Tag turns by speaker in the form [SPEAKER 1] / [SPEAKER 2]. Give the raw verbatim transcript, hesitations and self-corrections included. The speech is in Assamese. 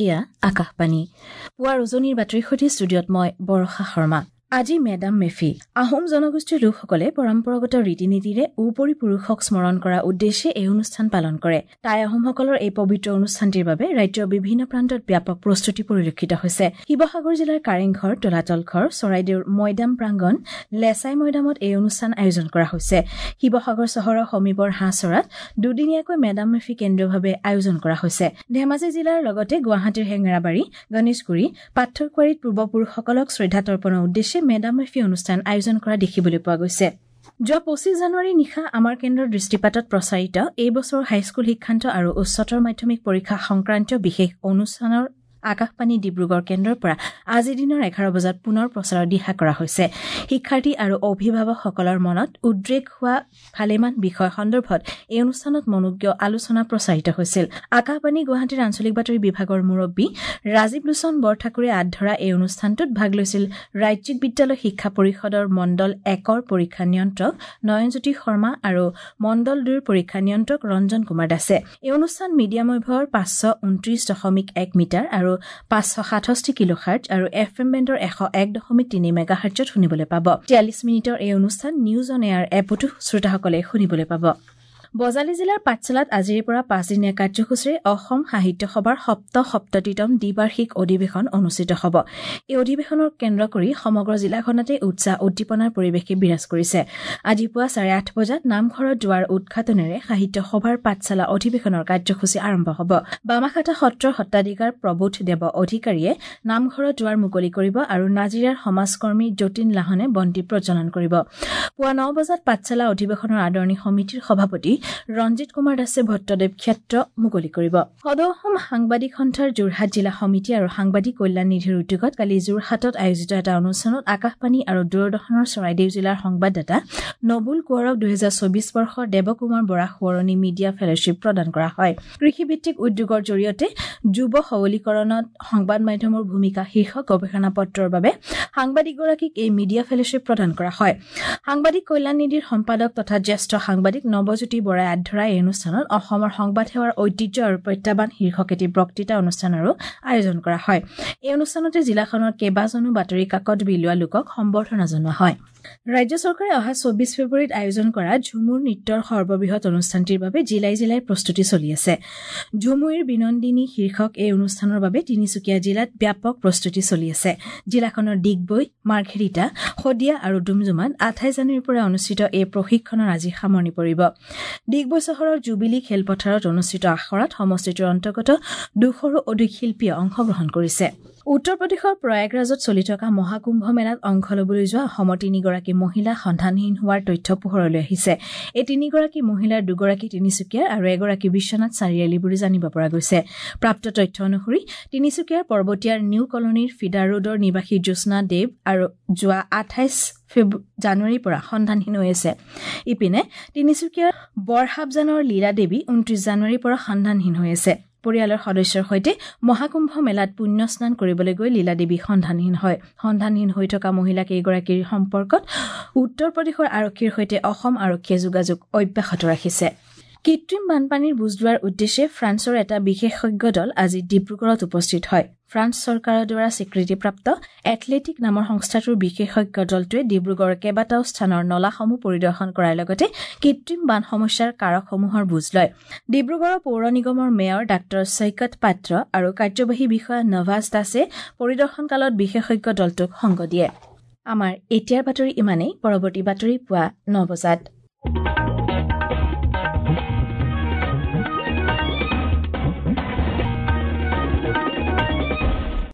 [SPEAKER 1] এয়া আকাশবাণী। পুৱাৰ উজনিৰ বাতৰিৰ সৈতে ষ্টুডিঅ'ত মই বৰষা শৰ্মা। আজি মেডাম মেফি। আহোম জনগোষ্ঠীৰ লোকসকলে পৰম্পৰাগত ৰীতি নীতিৰে উপৰি পুৰুষক স্মৰণ কৰাৰ উদ্দেশ্যে এই অনুষ্ঠান পালন কৰে। টাই আহোমসকলৰ এই পবিত্ৰ অনুষ্ঠানটিৰ বাবে ৰাজ্যৰ বিভিন্ন প্ৰান্তত ব্যাপক প্ৰস্তুতি পৰিলক্ষিত হৈছে। শিৱসাগৰ জিলাৰ কাৰেংঘৰ, তলাতল ঘৰ, চৰাইদেউৰ মৈদাম প্ৰাংগণ, লেচাই মৈদামত এই অনুষ্ঠান আয়োজন কৰা হৈছে। শিৱসাগৰ চহৰৰ সমীপৰ হাঁহচৰাত দুদিনীয়াকৈ মেডাম মেফি কেন্দ্ৰীয়ভাৱে আয়োজন কৰা হৈছে। ধেমাজি জিলাৰ লগতে গুৱাহাটীৰ হেঙেৰাবাৰী, গণেশগুৰি, পাথৰকুৱাৰীত পূৰ্বপুৰুষসকলক শ্ৰদ্ধা তৰ্পণৰ উদ্দেশ্যে মেডাম মেফি অনুষ্ঠান আয়োজন কৰা দেখিবলৈ পোৱা গৈছে। যোৱা পঁচিছ জানুৱাৰী নিশা আমাৰ কেন্দ্ৰৰ দৃষ্টিপাতত প্ৰচাৰিত এই বছৰৰ হাইস্কুল শিক্ষান্ত আৰু উচ্চতৰ মাধ্যমিক পৰীক্ষা সংক্ৰান্তীয় বিশেষ অনুষ্ঠানৰ আকাশবাণী ডিব্ৰুগড় কেন্দ্ৰৰ পৰা আজিৰ দিনৰ এঘাৰ বজাত পুনৰ প্ৰচাৰৰ দিহা কৰা হৈছে। শিক্ষাৰ্থী আৰু অভিভাৱকসকলৰ মনত উদ্ৰেক হোৱা ভালেমান বিষয় সন্দৰ্ভত এই অনুষ্ঠানত মনোজ্ঞ আলোচনা প্ৰচাৰিত হৈছিল। আকাশবাণী গুৱাহাটীৰ আঞ্চলিক বাতৰি বিভাগৰ মুৰব্বী ৰাজীৱ লোচন বৰঠাকুৰে আঁত ধৰা এই অনুষ্ঠানটোত ভাগ লৈছিল ৰাজ্যিক বিদ্যালয় শিক্ষা পৰিষদৰ মণ্ডল একৰ পৰীক্ষা নিয়ন্ত্ৰক নয়নজ্যোতি শৰ্মা আৰু মণ্ডল দুইৰ পৰীক্ষা নিয়ন্ত্ৰক ৰঞ্জন কুমাৰ দাসে। এই অনুষ্ঠান মিডিয়াম ৱেভৰ পাঁচশ ঊনত্ৰিশ দশমিক এক মিটাৰ আৰু পাঁচশ সাতষষ্ঠি কিলোহাৰ্টজ আৰু এফ এম বেণ্ডৰ এশ এক দশমিক তিনি মেগাহাৰ্টজত শুনিবলৈ পাব। তিয়াল্লিছ মিনিটৰ এই অনুষ্ঠান নিউজ অন এয়াৰ এপতো শ্ৰোতাসকলে শুনিবলৈ পাব। বজালী জিলাৰ পাঠশালাত আজিৰে পৰা পাঁচদিনীয়া কাৰ্যসূচীৰে অসম সাহিত্য সভাৰ সপ্ত সপ্ততিতম দ্বিবাৰ্ষিক অধিৱেশন অনুষ্ঠিত হ'ব। এই অধিৱেশনক কেন্দ্ৰ কৰি সমগ্ৰ জিলাখনতে উৎসাহ উদ্দীপনাৰ পৰিৱেশে বিৰাজ কৰিছে। আজি পুৱা চাৰে আঠ বজাত নামঘৰত দুৱাৰ উদ্ঘাটনেৰে সাহিত্য সভাৰ পাঠশালা অধিৱেশনৰ কাৰ্যসূচী আৰম্ভ হ'ব। বামাখাটা সত্ৰৰ সত্ৰাধিকাৰ প্ৰবোধ দেৱ অধিকাৰীয়ে নামঘৰত দুৱাৰ মুকলি কৰিব আৰু নাজিৰাৰ সমাজকৰ্মী যতীন লাহনে বন্তি প্ৰজ্বলন কৰিব। পুৱা ন বজাত পাঠশালা অধিৱেশনৰ আদৰণি সমিতিৰ সভাপতি ৰঞ্জিত কুমাৰ দাসে ভট্টদেৱ ক্ষেত্ৰ মুকলি কৰিব। সদৌ অসম সাংবাদিক সন্থাৰ যোৰহাট জিলা সমিতি আৰু সাংবাদিক কল্যাণ নিধিৰ উদ্যোগত কালি যোৰহাটত আয়োজিত এটা অনুষ্ঠানত আকাশবাণী আৰু দূৰদৰ্শনৰ চৰাইদেউ জিলাৰ সংবাদদাতা নবুল কোঁৱৰক দুহেজাৰ চৌবিশ বৰ্ষৰ দেৱকুমাৰ বৰা সোঁৱৰণী মিডিয়া ফেলোশ্বিপ প্ৰদান কৰা হয়। কৃষিভিত্তিক উদ্যোগৰ জৰিয়তে যুৱ সবলীকৰণত সংবাদ মাধ্যমৰ ভূমিকা শীৰ্ষক গৱেষণা পত্ৰৰ বাবে সাংবাদিকগৰাকীক এই মিডিয়া ফেলোশ্বিপ প্ৰদান কৰা হয়। সাংবাদিক কল্যাণ নিধিৰ সম্পাদক তথা জ্যেষ্ঠ সাংবাদিক নৱজ্যোতি বৰাই আঁত ধৰা এই অনুষ্ঠানত অসমৰ সংবাদ সেৱাৰ ঐতিহ্য আৰু প্ৰত্যাহ্বান শীৰ্ষক এটি বক্তৃতা অনুষ্ঠানৰো আয়োজন কৰা হয়। এই অনুষ্ঠানতে জিলাখনৰ কেইবাজনো বাতৰি কাকত বিলোৱা লোকক সম্বৰ্ধনা জনোৱা হয়। ৰাজ্য চৰকাৰে অহা চৌবিশ ফেব্ৰুৱাৰীত আয়োজন কৰা ঝুমুৰ নৃত্যৰ সৰ্ববৃহৎ অনুষ্ঠানটিৰ বাবে জিলাই জিলাই প্ৰস্তুতি চলি আছে। ঝুমুইৰ বিনন্দিনী শীৰ্ষক এই অনুষ্ঠানৰ বাবে তিনিচুকীয়া জিলাত ব্যাপক প্ৰস্তুতি চলি আছে। জিলাখনৰ ডিগবৈ, মাৰ্ঘেৰিটা, শদিয়া আৰু ডুমডুমাত আঠাইছ জানুৱাৰীৰ পৰা অনুষ্ঠিত এই প্ৰশিক্ষণৰ আজি সামৰণি পৰিব। ডিগবৈ চহৰৰ জুবিলী খেলপথাৰত অনুষ্ঠিত আখৰাত সমষ্টিটোৰ অন্তৰ্গত দুশৰো অধিক শিল্পীয়ে অংশগ্ৰহণ কৰিছে। উত্তৰ প্ৰদেশৰ প্ৰয়াগৰাজত চলি থকা মহাকুম্ভ মেলাত অংশ ল'বলৈ যোৱা অসমৰ তিনিগৰাকী মহিলা সন্ধানহীন হোৱাৰ তথ্য পোহৰলৈ আহিছে। এই তিনিগৰাকী মহিলাৰ দুগৰাকী তিনিচুকীয়াৰ আৰু এগৰাকী বিশ্বনাথ চাৰিআলি বুলি জানিব পৰা গৈছে। প্ৰাপ্ত তথ্য অনুসৰি তিনিচুকীয়াৰ পৰ্বতীয়াৰ নিউ কলনীৰ ফিডাৰ ৰোডৰ নিবাসী জ্যোৎস্না দেৱ আৰু যোৱা আঠাইছ জানুৱাৰীৰ পৰা সন্ধানহীন হৈ আছে। ইপিনে তিনিচুকীয়াৰ বৰহাবজানৰ লীলা দেৱী ঊনত্ৰিশ জানুৱাৰীৰ পৰা সন্ধানহীন হৈ আছে। পৰিয়ালৰ সদস্যৰ সৈতে মহাকুম্ভ মেলাত পুণ্য স্নান কৰিবলৈ গৈ লীলা দেৱী সন্ধানহীন হয়। সন্ধানহীন হৈ থকা মহিলা কেইগৰাকীৰ সম্পৰ্কত উত্তৰ প্ৰদেশৰ আৰক্ষীৰ সৈতে অসম আৰক্ষীয়ে যোগাযোগ অব্যাহত ৰাখিছে। কৃত্ৰিম বানপানীৰ বুজ লোৱাৰ উদ্দেশ্যে ফ্ৰান্সৰ এটা বিশেষজ্ঞ দল আজি ডিব্ৰুগড়ত উপস্থিত হয়। ফ্ৰান্স চৰকাৰৰ দ্বাৰা স্বীকৃতিপ্ৰাপ্ত এথলেটিক নামৰ সংস্থাটোৰ বিশেষজ্ঞ দলটোৱে ডিব্ৰুগড়ৰ কেইবাটাও স্থানৰ নলাসমূহ পৰিদৰ্শন কৰাৰ লগতে কৃত্ৰিম বান সমস্যাৰ কাৰকসমূহৰ বুজ লয়। ডিব্ৰুগড়ৰ পৌৰ নিগমৰ মেয়ৰ ডাঃ চৈকত পাত্ৰ আৰু কাৰ্যবাহী বিষয়া নৱাজ দাসে পৰিদৰ্শনকালত বিশেষজ্ঞ দলটোক সংগ দিয়ে। আমাৰ এতিয়াৰ বাতৰি ইমানেই। পৰৱৰ্তী বাতৰি পুৱা ন বজাত।